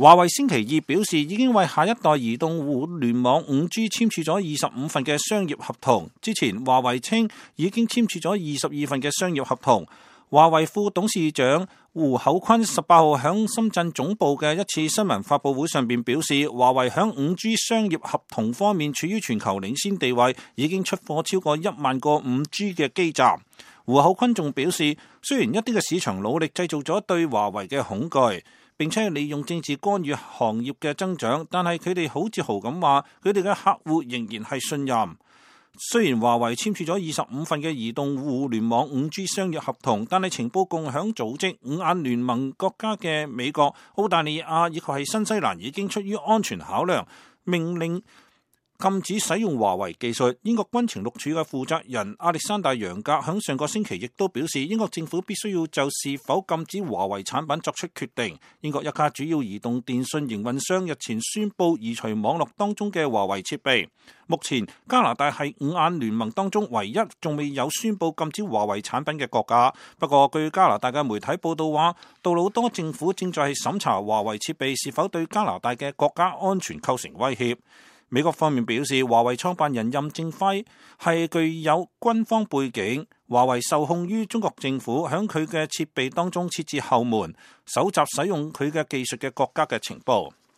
華為星期二表示，已經為下一代移動互聯網 5G 簽署咗25份嘅商業合同。之前華為稱已經簽署咗22份嘅商業合同。華為副董事長胡厚昆18號響深圳總部嘅一次新聞發佈會上邊表示，華為響 5G 商業合同方面處於全球領先地位，已經出貨超過1萬個 5G 嘅基站。胡厚昆仲表示，雖然一啲嘅市場努力製造咗對華為嘅恐懼，並且利用政治干預行業嘅增長，但係佢哋好自豪咁話，佢哋嘅客戶仍然係信任。雖然華為簽署咗25份嘅移動互聯網 5G 商業合同，但係情報共享組織五眼聯盟國家嘅美國、澳大利亞以及係新西蘭已經出於安全考量，命令禁止使用華為技術。英國軍情六處嘅負責人亞歷山大楊格響上個星期亦都表示，英國政府必須要就是否禁止華為產品作出決定。英國一家主要移動電信營運商日前宣布移除網絡當中嘅華為設備。目前加拿大係五眼聯盟當中唯一仲未有宣布禁止華為產品嘅國家。不過據加拿大嘅媒體報道話，杜魯多政府正在審查華為設備是否對加拿大嘅國家安全構成威脅。美國方面表示，華為創辦人任正非係具有軍方背景，華為受控於中國政府，響佢嘅設備當中設置後門，搜集使用佢嘅技術嘅國家嘅情報。